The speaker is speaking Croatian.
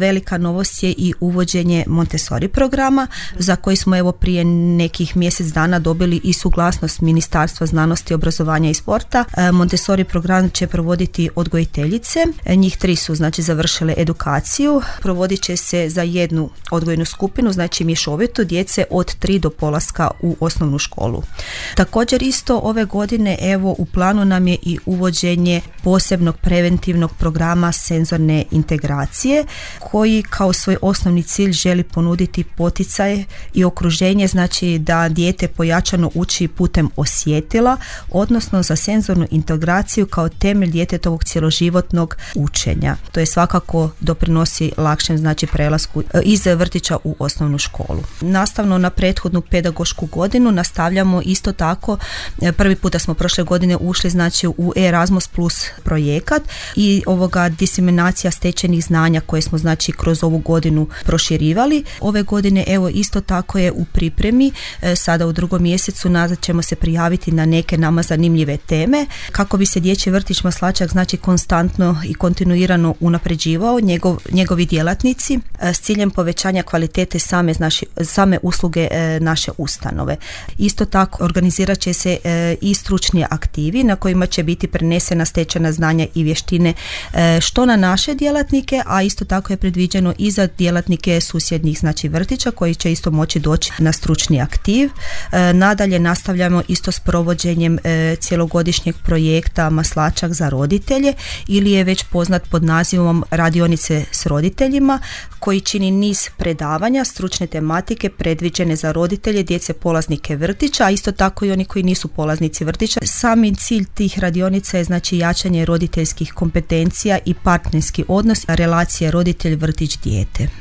Velika novost je i uvođenje Montessori programa za koji smo evo prije nekih mjesec dana dobili i suglasnost Ministarstva znanosti, obrazovanja i sporta. Montessori program će provoditi odgojiteljice. Njih 3 su znači završile edukaciju. Provodit će se za jednu odgojnu skupinu, znači mješovitu djece od 3 do polaska u osnovnu školu. Također isto ove godine evo u planu nam je i uvođenje posebnog preventivnog programa senzorne integracije koji kao svoj osnovni cilj želi ponuditi poticaj i okruženje, znači da dijete pojačano uči putem osjetila, odnosno za senzornu integraciju kao temelj djetetovog cjeloživotnog učenja. To je svakako doprinosi lakšem znači prelasku iz vrtića u osnovnu školu. Nastavno na prethodnu pedagošku godinu nastavljamo isto tako. Prvi puta smo prošle godine ušli znači u Erasmus Plus projekat i ovoga diseminacija stečenih znanja koje smo znači kroz ovu godinu proširivali. Ove godine evo isto tako je u pripremi, sada u 2. mjesecu nazad ćemo se prijaviti na neke nama zanimljive teme kako bi se dječji vrtić Maslačak znači konstantno i kontinuirano unapređivao njegovi djelatnici s ciljem povećanja kvalitete same usluge naše ustanove. Isto tako organizirat će se i stručni aktivi na kojima će biti prenesena stečena znanja i vještine što na naše djelatnike, a isto tako je predviđeno i za djelatnike susjednih znači vrtića koji će isto moći doći na stručni aktiv. Nadalje nastavljamo isto s provođenjem cjelogodišnjeg projekta Maslačak za roditelje ili je već poznat pod nazivom Radionice s roditeljima koji čini niz predavanja stručne tematike predviđene za roditelje, djece polaznike vrtića, a isto tako i oni koji nisu polaznici vrtića. Sami cilj tih radionica je znači jačanje roditeljskih kompetencija i partnerski odnos relacije roditelj-vrtić-dijete.